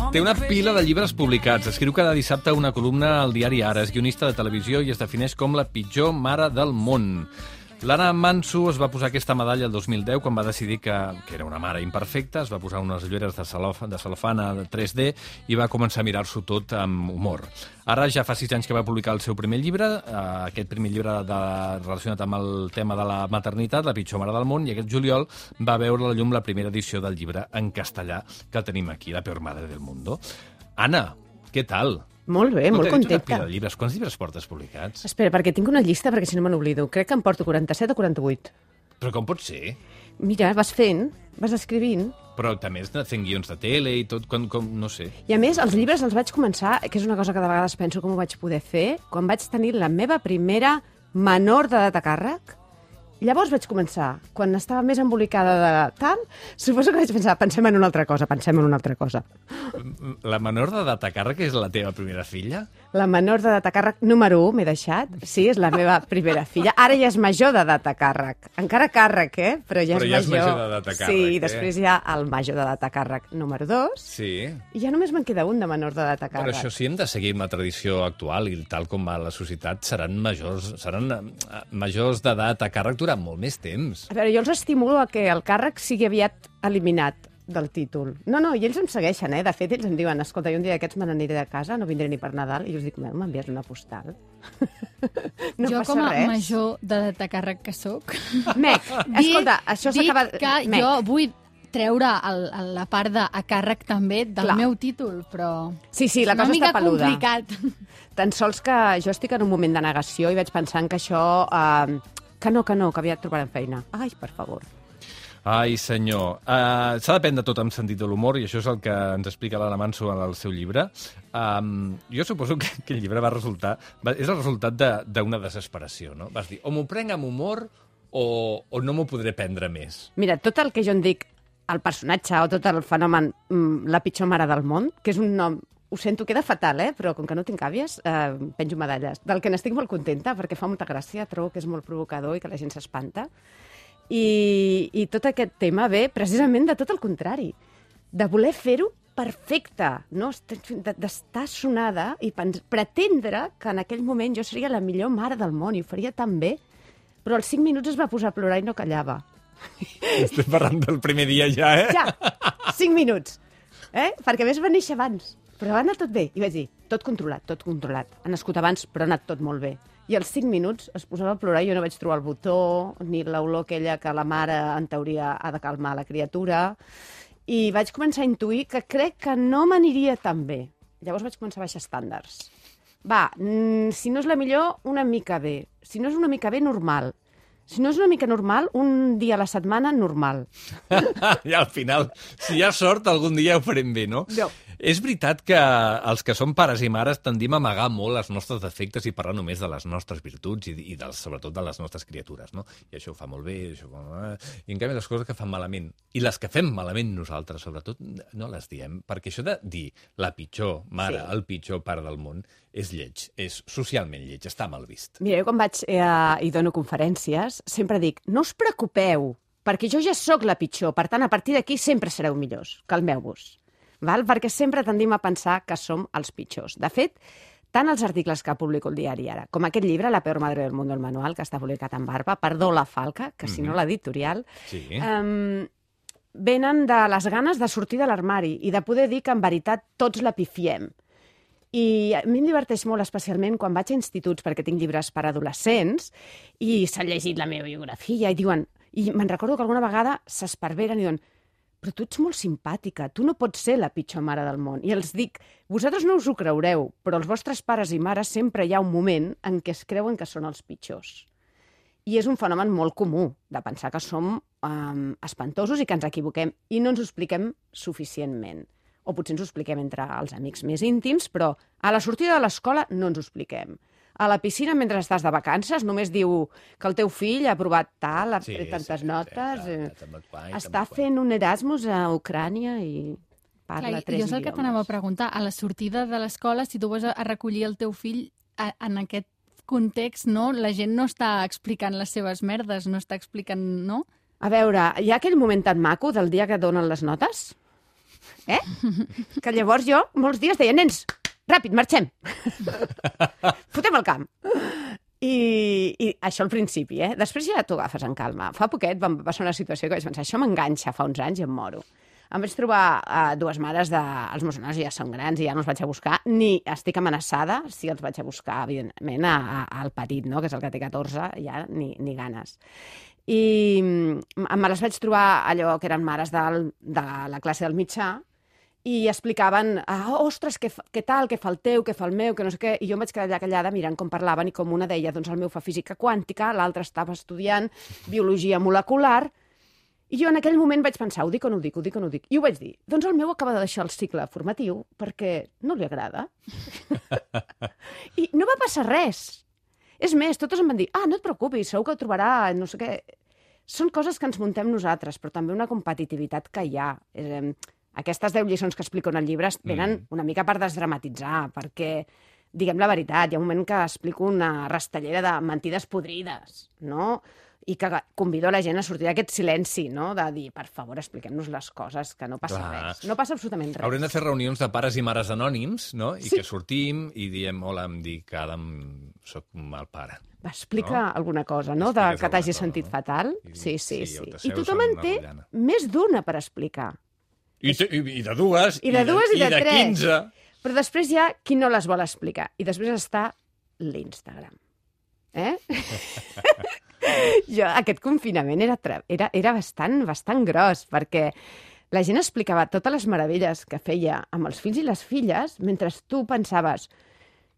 Té una pila de llibres publicats. Escriu cada dissabte una columna al diari Ara. És guionista de televisió i es defineix com la pitjor mare del món. L'Anna Manso es va posar aquesta medalla el 2010 quan va decidir que era una mare imperfecta, es va posar unes ulleres de cel·lofana 3D i va començar a mirar-s'ho tot amb humor. Ara ja fa 6 anys que va publicar el seu primer llibre, aquest primer llibre relacionat amb el tema de la maternitat, La pitjor mare del món, i aquest juliol va veure la llum la primera edició del llibre en castellà, que el tenim aquí, La peor madre del mundo. Anna, què tal? Molt bé, molt contenta. Una pila de llibres. Quants llibres portes publicats? Espera, perquè tinc una llista, perquè si no me n'oblido. Crec que em porto 47 o 48. Però com pot ser? Mira, vas fent, vas escrivint. Però també has anat fent guions de tele i tot, no sé. I a més, els llibres els vaig començar, que és una cosa que de vegades penso com ho vaig poder fer, quan vaig tenir la meva primera menor d'edat a càrrec. Llavors vaig començar, quan estava més embolicada de tal, suposo que vaig pensar, pensem en una altra cosa. La menor d'edat a càrrec és la teva primera filla? La menor d'edat a càrrec número 1, m'he deixat. Sí, és la meva primera filla. Ara ja és major d'edat a càrrec. Encara càrrec, Però ja és major d'edat a càrrec. Sí, i després hi ha el major d'edat a càrrec número 2. Sí. I ja només me'n queda un de menor d'edat a càrrec. Però això sí, hem de seguir amb la tradició actual i tal com va la societat, seran majors d'edat a càrrec durant molt més temps. A veure, jo els estimulo a que el càrrec sigui aviat eliminat del títol. No, i ells em segueixen, De fet, ells em diuen, escolta, jo un dia d'aquests me n'aniré de casa, no vindré ni per Nadal, i jo els dic, m'envies una postal? No jo passa com a res. major d'edat a càrrec que sóc... Escolta, això s'acaba... Dic que jo vull treure la part de a càrrec també del meu títol, però... Sí, la cosa està peluda. És una mica complicat. Tan sols que jo estic en un moment de negació i vaig pensant que això... Que no, que aviat trobarem feina. Ai, per favor. Ai, senyor. S'ha de prendre tot amb sentit de l'humor i això és el que ens explica l'Anna Manso en el seu llibre. Jo suposo que el llibre és el resultat d'una desesperació, no? Vas dir, o m'ho prenc amb humor o no m'ho podré prendre més. Mira, tot el que jo en dic el personatge o tot el fenomen La pitjor mare del món, que és un nom... Ho sento, queda fatal, però com que no tinc àvies, penjo medalles. Del que n'estic molt contenta, perquè fa molta gràcia, trobo que és molt provocador i que la gent s'espanta. I tot aquest tema ve precisament de tot el contrari, de voler fer-ho perfecte, no? D'estar sonada i pretendre que en aquell moment jo seria la millor mare del món i ho faria tan bé, però als 5 minuts es va posar a plorar i no callava. Estem parlant del primer dia ja, Ja, 5 minuts. Perquè a més va néixer abans. Però va anar tot bé. I vaig dir, tot controlat. Ha nascut abans, però ha anat tot molt bé. I als 5 minuts es posava a plorar i jo no vaig trobar el botó, ni l'olor aquella que la mare, en teoria, ha de calmar la criatura. I vaig començar a intuir que crec que no m'aniria tan bé. Llavors vaig començar a baixar estàndards. Si no és la millor, una mica bé. Si no és una mica bé, normal. Si no és una mica normal, un dia a la setmana, normal. I al final, si hi ha sort, algun dia ho farem bé, no? No. És veritat que els que som pares i mares tendim a amagar molt els nostres defectes i parlar només de les nostres virtuts i sobretot de les nostres criatures, no? I això ho fa molt bé, i en canvi les coses que fan malament, i les que fem malament nosaltres, sobretot, no les diem, perquè això de dir la pitjor mare, el pitjor pare del món, és lleig, és socialment lleig, està mal vist. Mira, jo quan vaig i dono conferències, sempre dic, no us preocupeu, perquè jo ja sóc la pitjor, per tant, a partir d'aquí sempre sereu millors, calmeu-vos. Perquè sempre tendim a pensar que som els pitjors. De fet, tant els articles que publico el diari Ara, com aquest llibre, La peor madre del mundo, el manual, que està publicat en Barba, perdó la Falca, que si no l'editorial, venen de les ganes de sortir de l'armari i de poder dir que en veritat tots la pifiem. I a mi em diverteix molt, especialment quan vaig a instituts, perquè tinc llibres per adolescents, i s'han llegit la meva biografia, i diuen... I me'n recordo que alguna vegada s'esparveren i diuen però tu ets molt simpàtica, tu no pots ser la pitjor mare del món. I els dic, vosaltres no us ho creureu, però els vostres pares i mares sempre hi ha un moment en què es creuen que són els pitjors. I és un fenomen molt comú, de pensar que som espantosos i que ens equivoquem, i no ens ho expliquem suficientment. O potser ens ho expliquem entre els amics més íntims, però a la sortida de l'escola no ens ho expliquem. A la piscina, mentre estàs de vacances, només diu que el teu fill ha aprovat tal, ha tret tantes notes... Està fent un Erasmus a Ucrània i parla 3 idiomes. Jo és el que t'anava a preguntar. A la sortida de l'escola, si tu vas a recollir el teu fill en aquest context, no? La gent no està explicant les seves merdes, no està explicant, no? A veure, hi ha aquell moment tan maco del dia que donen les notes? Que llavors jo, molts dies, deia, nens, ràpid, marxem. Fotem el camp. I això al principi, Després ja t'ho agafes en calma. Fa poquet va passar una situació que vaig pensar, això m'enganxa fa uns anys i em moro. Em vaig trobar dues mares els meus nois ja són grans i ja no els vaig a buscar, ni estic amenaçada si els vaig a buscar, evidentment, al petit, no? Que és el que té 14, ja ni ganes. I me les vaig trobar allò que eren mares de la classe del mitjà i explicaven, ostres, què tal, què fa el teu, què fa el meu, que no sé què, i jo em vaig quedar allà callada mirant com parlaven i com una deia, doncs el meu fa física quàntica, l'altra estava estudiant biologia molecular, i jo en aquell moment vaig pensar, ho dic o no ho dic, ho dic o no ho dic, i ho vaig dir, doncs el meu acaba de deixar el cicle formatiu perquè no li agrada. I no va passar res. És més, totes em van dir, no et preocupis, segur que ho trobarà, no sé què. Són coses que ens muntem nosaltres, però també una competitivitat que hi ha. Aquestes 10 lliçons que explico en el llibre venen una mica per desdramatitzar, perquè, diguem la veritat, hi ha un moment que explico una rastellera de mentides podrides, no? I que convido la gent a sortir d'aquest silenci, no? De dir, per favor, expliquem-nos les coses, que no passa res. No passa absolutament res. Haurem de fer reunions de pares i mares anònims, no? I que sortim i diem, hola, em dic Adam, soc el pare. Explica alguna cosa, no? Que t'hagi sentit fatal. Sí. I tothom en té més d'una per explicar. I de dues, i de 15. Però després hi ha qui no les vol explicar. I després està l'Instagram. Aquest confinament era bastant gros, perquè la gent explicava totes les meravelles que feia amb els fills i les filles, mentre tu pensaves,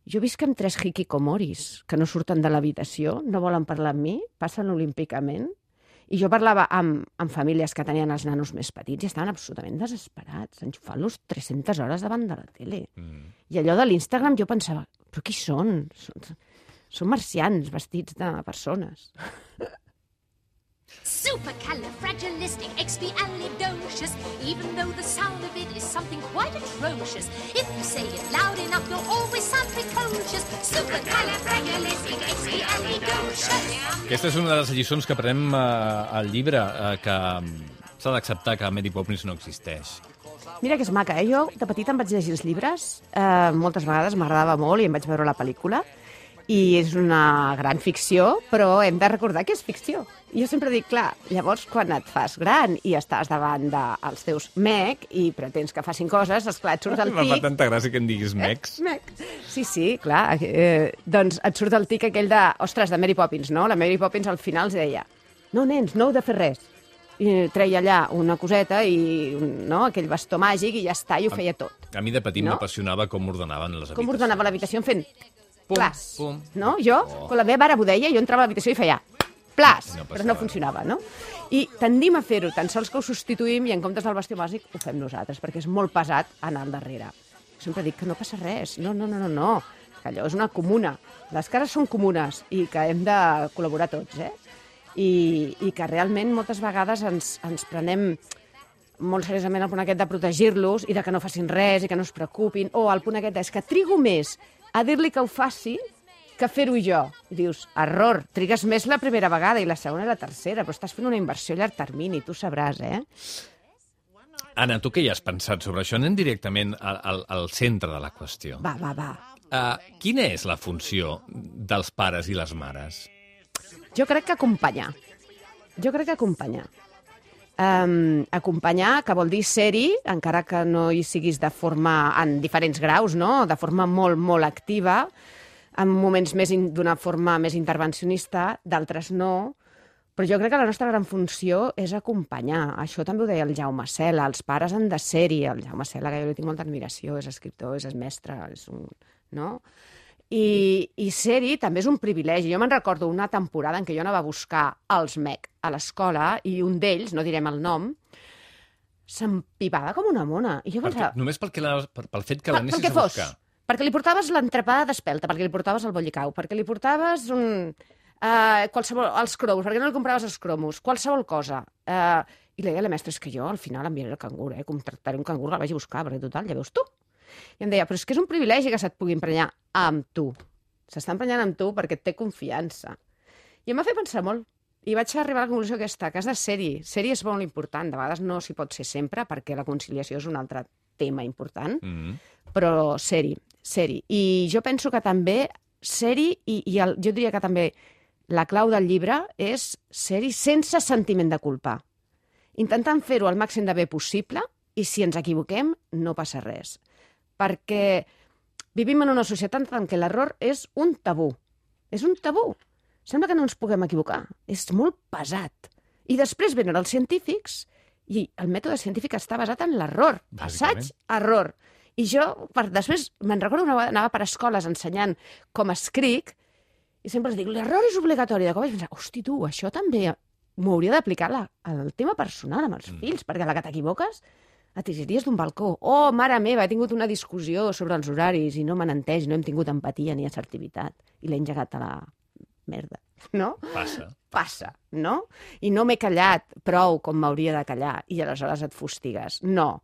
jo visc amb 3 hikikomoris que no surten de l'habitació, no volen parlar amb mi, passen olímpicament. I jo parlava amb famílies que tenien els nanos més petits i estaven absolutament desesperats, enxufant-los 300 hores davant de la tele. I allò de l'Instagram jo pensava, però qui són? Són marcians vestits de persones. Supercalifragilisticexpialidocious, even though the sound of it is something quite atrocious. If you say it loud enough, you'll always sound precocious. Supercalifragilisticexpialidocious. Aquesta és una de les lliçons que aprenem al llibre, que s'ha d'acceptar que Mary Poppins no existeix. Mira que és maca, Jo de petita em vaig llegir els llibres, moltes vegades m'agradava molt i em vaig veure la pel·lícula, i és una gran ficció, però hem de recordar que és ficció. Jo sempre dic, clar, llavors quan et fas gran i estàs davant dels teus mec i pretens que facin coses, esclar, et surt el tic... Em fa tanta gràcia que em diguis mecs. Mec. Sí, clar. Doncs et surt el tic aquell de, ostres, de Mary Poppins, no? La Mary Poppins al final els deia, no, nens, no heu de fer res. I treia allà una coseta i aquell bastó màgic i ja està, i ho feia tot. A mi de petit m'apassionava com ordenaven les habitacions. Com ordenava l'habitació fent plas. Pum. No? Jo, quan la meva mare m'ho deia, jo entrava a l'habitació i feia plas, però no funcionava, no? I tendim a fer-ho, tan sols que ho substituïm i en comptes del bastó bàsic ho fem nosaltres, perquè és molt pesat anar al darrere. Sempre dic que no passa res, no, que allò és una comuna. Les cases són comunes i que hem de col·laborar tots, I que realment moltes vegades ens prenem molt seriosament el punt aquest de protegir-los i de que no facin res i que no es preocupin, o el punt aquest és que trigo més a dir-li que ho faci que fer-ho jo. I dius, error, trigues més la primera vegada i la segona i la tercera, però estàs fent una inversió a llarg termini, tu sabràs, Anna, tu què hi has pensat sobre això? Anem directament al centre de la qüestió. Va. Quina és la funció dels pares i les mares? Jo crec que acompanyar. Acompanyar, que vol dir ser-hi, encara que no hi siguis en diferents graus, no? De forma molt, molt activa, en moments d'una forma més intervencionista, d'altres no, però jo crec que la nostra gran funció és acompanyar. Això també ho deia el Jaume Sela, els pares han de ser-hi. El Jaume Sela, que jo li tinc molta admiració, és escriptor, és mestre, no? I ser-hi també és un privilegi. Jo me'n recordo una temporada en què jo anava a buscar els MEC a l'escola i un d'ells, no direm el nom, s'empipava com una mona. I jo pensava... Només pel fet que l'anessis a buscar. Perquè li portaves l'entrepada d'espelta, perquè li portaves el bollicau, perquè li portaves els cromos, perquè no li compraves els cromos, qualsevol cosa. I li deia a la mestra, és que jo al final enviaré el cangur, contractaré un cangur, el vaig a buscar, perquè total, ja veus tu. I em deia, però és que és un privilegi que se't pugui emprenyar amb tu. S'està emprenyant amb tu perquè et té confiança. I em va fer pensar molt. i vaig arribar a la conclusió aquesta, que has de ser-hi. Ser-hi és molt important, de vegades no s'hi pot ser sempre, perquè la conciliació és un altre tema important, però ser-hi. I jo penso que també ser-hi, jo diria que també la clau del llibre és ser-hi sense sentiment de culpa. Intentant fer-ho el màxim de bé possible, i si ens equivoquem, no passa res. Perquè vivim en una societat en què l'error és un tabú. És un tabú. Sembla que no ens puguem equivocar. És molt pesat. I després venen els científics i el mètode científic està basat en l'error. Assaig, error. I jo, després, me'n recordo una vegada, anava per escoles ensenyant com escric i sempre els dic, l'error és obligatori. De cop vaig pensar, hosti, tu, això també m'ho hauria d'aplicar al tema personal amb els fills, perquè a la que t'equivoques et tiraries d'un balcó. Oh, mare meva, he tingut una discussió sobre els horaris i no m'han entès, no hem tingut empatia ni assertivitat. I l'he engegat a la merda, no? Passa, no? I no m'he callat prou com m'hauria de callar i aleshores et fustigues. No.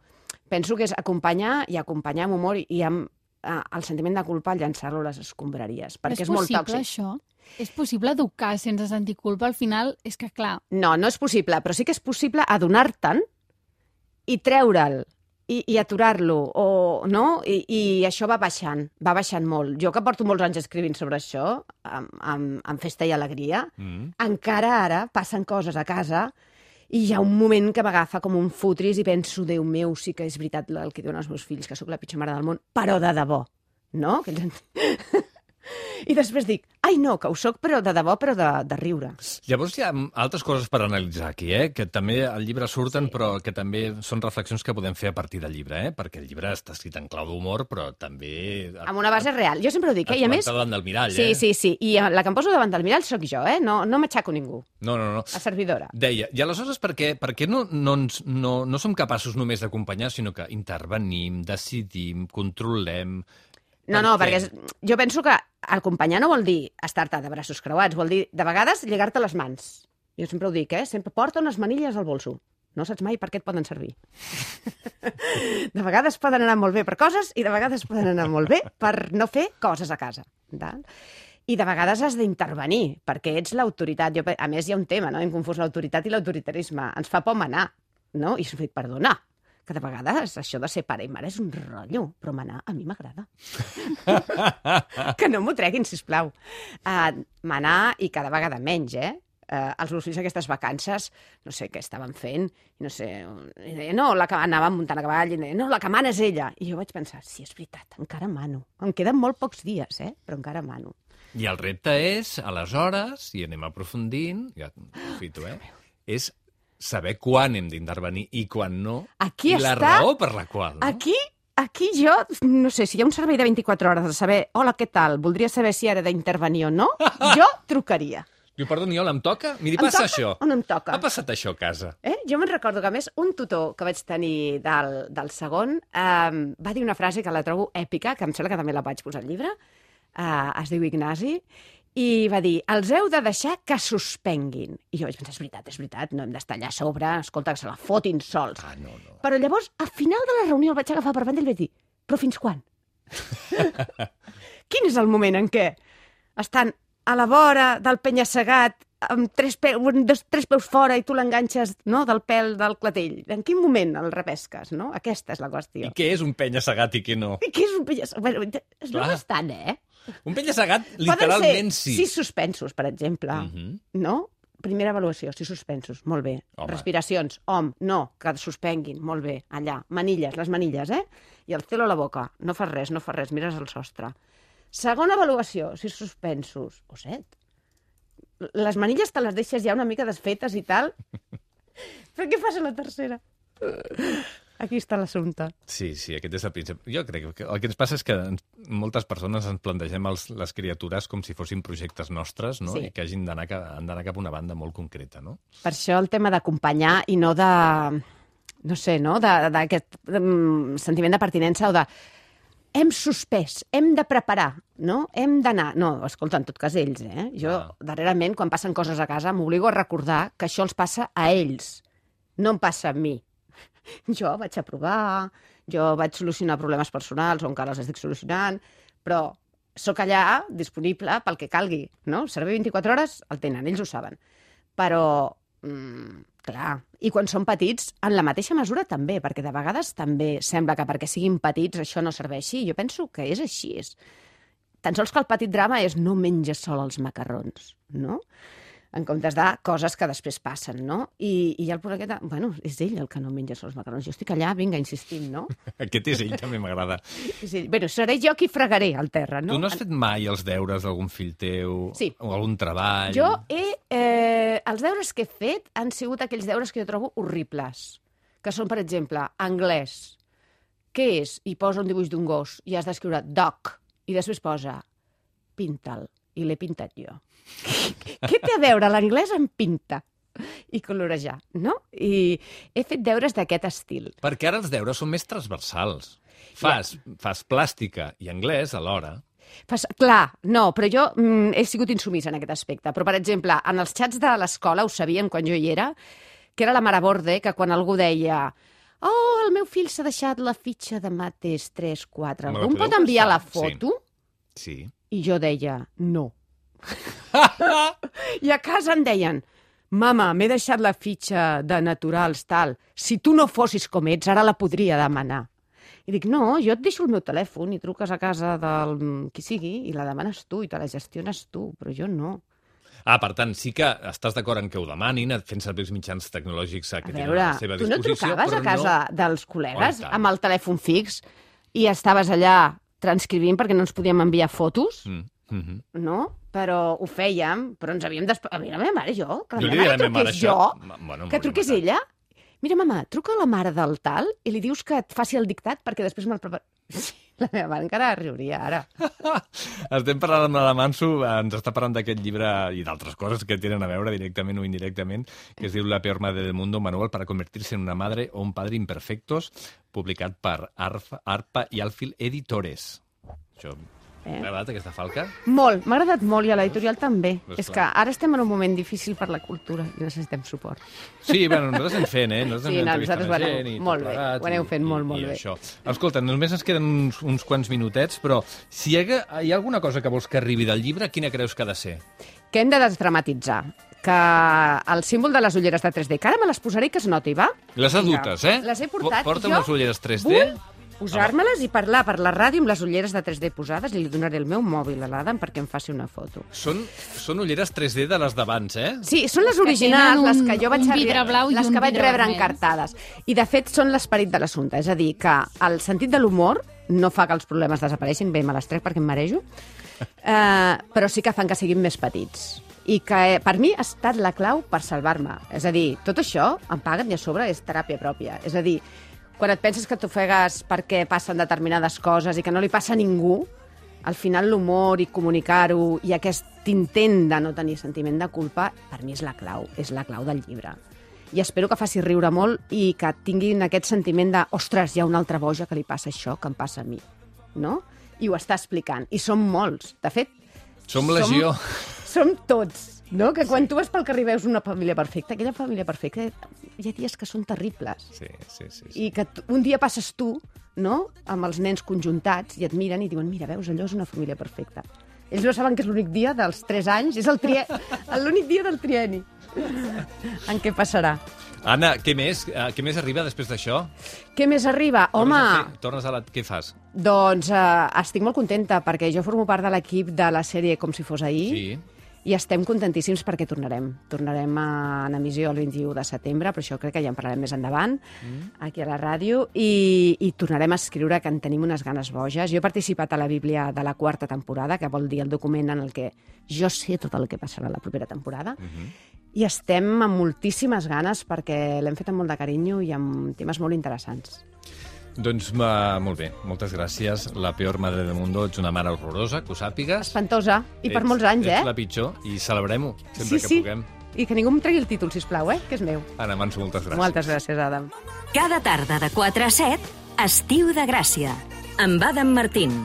Penso que és acompanyar amb humor i amb el sentiment de culpa llançar-lo a les escombraries, perquè és molt tòxic. És possible, això? És possible educar sense sentir culpa? Al final, és que clar... No, no és possible, però sí que és possible adonar-te'n i treure'l, i aturar-lo, no? I això va baixant molt. Jo que porto molts anys escrivint sobre això, amb festa i alegria, encara ara passen coses a casa i hi ha un moment que m'agafa com un futris i penso, Déu meu, sí que és veritat el que diuen els meus fills, que sóc la pitjor mare del món, però de debò, no? I després dic, ai no, que ho soc però de debò, però de riure. Llavors hi ha altres coses per analitzar aquí, que també al llibre surten, però que també són reflexions que podem fer a partir del llibre, perquè el llibre està escrit en clau d'humor, però també... Amb una base real. Jo sempre ho dic, i a més... davant del mirall, Sí. I la que em poso davant del mirall sóc jo, no m'aixaco ningú. No. A servidora. Deia, i aleshores per què no som capaços només d'acompanyar, sinó que intervenim, decidim, controlem... No, perquè jo penso que acompanyar no vol dir estar-te de braços creuats, vol dir, de vegades, lligar-te les mans. Jo sempre ho dic, sempre porta unes manilles al bolso. No saps mai per què et poden servir. De vegades poden anar molt bé per coses i de vegades poden anar molt bé per no fer coses a casa. I de vegades has d'intervenir, perquè ets l'autoritat. A més, hi ha un tema, no? Hem confós l'autoritat i l'autoritarisme. Ens fa por manar, no? I us dic, perdona, que de vegades això de ser pare i mare és un rotllo, però manar a mi m'agrada. Que no m'ho treguin, sisplau. Manar i cada vegada menys, Els meus fills aquestes vacances, no sé què estaven fent, i no sé, no, la que anava muntant a cavall, i no, la que mana és ella. I jo vaig pensar, sí, és veritat, encara mano. Em queden molt pocs dies, però encara mano. I el repte és, aleshores, i anem aprofundint, ja aprofito, és saber quan hem d'intervenir i quan no, aquí i la raó per la qual. No? Aquí jo, no sé, si hi ha un servei de 24 hores de saber, hola, què tal, voldria saber si ara d'intervenir o no, jo trucaria. Diu, perdoni, hola, em toca? Miri, passa això. O no em toca? Ha passat això a casa. Jo me'n recordo que, a més, un tutor que vaig tenir del segon va dir una frase que la trobo èpica, que em sembla que també la vaig posar al llibre, es diu Ignasi, i va dir, els heu de deixar que suspenguin. I jo vaig pensar, és veritat, no hem d'estar allà a sobre, escolta, que se la fotin sols. No. Però llavors, al final de la reunió, el vaig agafar per banda i li vaig dir, però fins quan? Quin és el moment en què estan a la vora del penya-segat, amb tres peus fora i tu l'enganxes, no?, del pèl del clatell? En quin moment el repesques, no? Aquesta és la qüestió. I què és un penya-segat i què no? I què és un penya-segat? Bueno, és bastant, Un penya-segat, literalment, sí. 6 suspensos, per exemple, no? Primera avaluació, 6 suspensos, molt bé. Home. Respiracions, no, que suspenguin, molt bé, allà. Manilles, les manilles, I el celo a la boca, no fas res, mires al sostre. Segona avaluació, 6 suspensos, o 7. Les manilles te les deixes ja una mica desfetes i tal. Però què fas a la tercera? Aquí està l'assumpte. Sí, aquest és el principi. Jo crec que el que ens passa és que moltes persones ens plantegem les criatures com si fossin projectes nostres, no? Sí. I que han d'anar cap a una banda molt concreta, no? Per això el tema d'acompanyar i no de... No sé, no? D'aquest sentiment de pertinença o de... Hem suspès, hem de preparar, no? Hem d'anar... No, escolta, en tot cas ells, Jo, darrerament, quan passen coses a casa, m'obligo a recordar que això els passa a ells, no em passa a mi. Jo vaig aprovar, jo vaig solucionar problemes personals o encara els estic solucionant, però sóc allà disponible pel que calgui, no? Servei 24 hores el tenen, ells ho saben. Però, clar, i quan són petits, en la mateixa mesura també, perquè de vegades també sembla que perquè siguin petits això no serveixi. Jo penso que és així. Tan sols que el petit drama és no menges sol els macarrons, no? En comptes de coses que després passen, no? I el pobre aquest... Bueno, és ell el que no menja sol els macarrons. Jo estic allà, vinga, insistint, no? Aquest és ell, també m'agrada. Bueno, seré jo qui fregaré al terra, no? Tu no has fet mai els deures d'algun fill teu? Sí. O algun treball? Jo els deures que he fet han sigut aquells deures que jo trobo horribles, que són, per exemple, anglès. Què és? I posa un dibuix d'un gos i has d'escriure dog, i després posa pinta'l, i l'he pintat jo. Què té a veure l'anglès amb pinta i colorejar, no? I he fet deures d'aquest estil. Perquè ara els deures són més transversals. Fas plàstica i anglès alhora. Clar, no, però jo he sigut insumisa en aquest aspecte. Però, per exemple, en els xats de l'escola ho sabien quan jo hi era, que era la mare borde, que quan algú deia el meu fill s'ha deixat la fitxa de mates 3, 4, algú em pot enviar la foto? Sí. I jo deia, no. I a casa em deien, mama, m'he deixat la fitxa de naturals, tal. Si tu no fossis com ets, ara la podria demanar. I dic, no, jo et deixo el meu telèfon i truques a casa del qui sigui i la demanes tu i te la gestiones tu, però jo no. Per tant, sí que estàs d'acord en que ho demanin, fent servir els mitjans tecnològics que tenen a la seva disposició. Tu no trucaves a casa dels col·legues amb el telèfon fix i estaves allà transcrivint perquè no ens podíem enviar fotos? No? Però ho fèiem, però ens havíem d'esperar. Mira, la meva mare, jo, que la meva mare truqués jo, que truqués ella. Mira, mama, truca a la mare del tal i li dius que et faci el dictat perquè després me'l prepara. La meva mare encara riuria, ara. Estem parlant amb la Manso, ens està parlant d'aquest llibre i d'altres coses que tenen a veure directament o indirectament, que es diu La peor madre del mundo, manual para convertirse en una madre o un padre imperfectos, publicat per Arpa i Alfil Editores. Això... T'ha agradat aquesta falca? Molt, m'ha agradat molt i a l'editorial també. És que ara estem en un moment difícil per la cultura i necessitem suport. Sí, bueno, nosaltres anem fent, nosaltres molt bé, ho aneu fent molt bé. Escolta, només ens queden uns quants minutets, però si hi ha alguna cosa que vols que arribi del llibre, quina creus que ha de ser? Que hem de desdramatitzar. Que el símbol de les ulleres de 3D, que ara me les posaré i que es noti, va? Les adultes, Les he portat. Porta unes ulleres 3D. Vull posar-me-les i parlar per la ràdio amb les ulleres de 3D posades i li donaré el meu mòbil a l'Adam perquè em faci una foto. Són ulleres 3D de les d'abans, eh? Sí, són les originals, les que jo vaig rebre encartades. I, de fet, són l'esperit de l'assumpte. És a dir, que el sentit de l'humor no fa que els problemes desapareixin, bé, me les trec perquè em marejo, però sí que fan que siguin més petits. I que per mi ha estat la clau per salvar-me. És a dir, tot això em paguen i a sobre és teràpia pròpia. És a dir, quan et penses que t'ofegues perquè passen determinades coses i que no li passa a ningú, al final l'humor i comunicar-ho i aquest intent de no tenir sentiment de culpa, per mi és la clau del llibre. I espero que faci riure molt i que tinguin aquest sentiment de ostres, hi ha una altra boja que li passa això, que em passa a mi. No? I ho està explicant. I som molts. De fet, som legió. Som tots. No? Que quan tu vas pel carrer veus una família perfecta, aquella família perfecta hi ha dies que són terribles. Sí. I que un dia passes tu, no?, amb els nens conjuntats i et miren i diuen, mira, veus, allò és una família perfecta. Ells no saben que és l'únic dia dels 3 anys, és l'únic dia del trienni en què passarà. Anna, què més arriba després d'això? Què més arriba? Home... Què fas? Doncs estic molt contenta perquè jo formo part de l'equip de la sèrie Com si fos ahir. Sí. I estem contentíssims perquè tornarem. Tornarem en emissió el 21 de setembre, però això crec que ja en parlarem més endavant, aquí a la ràdio, i tornarem a escriure, que en tenim unes ganes boges. Jo he participat a la Bíblia de la 4ª temporada, que vol dir el document en el que jo sé tot el que passarà la propera temporada, i estem amb moltíssimes ganes perquè l'hem fet amb molt de carinyo i amb temes molt interessants. Doncs molt bé, moltes gràcies. La peor madre del mundo, ets una mare horrorosa, que ho sàpigues. Espantosa, i per molts anys, Ets la pitjor, i celebrem-ho sempre que puguem. I que ningú em tregui el títol, sisplau, que és meu. Anna Manso, moltes gràcies. Moltes gràcies, Adam. Cada tarda de 4 a 7, Estiu de Gràcia, amb Adam Martín.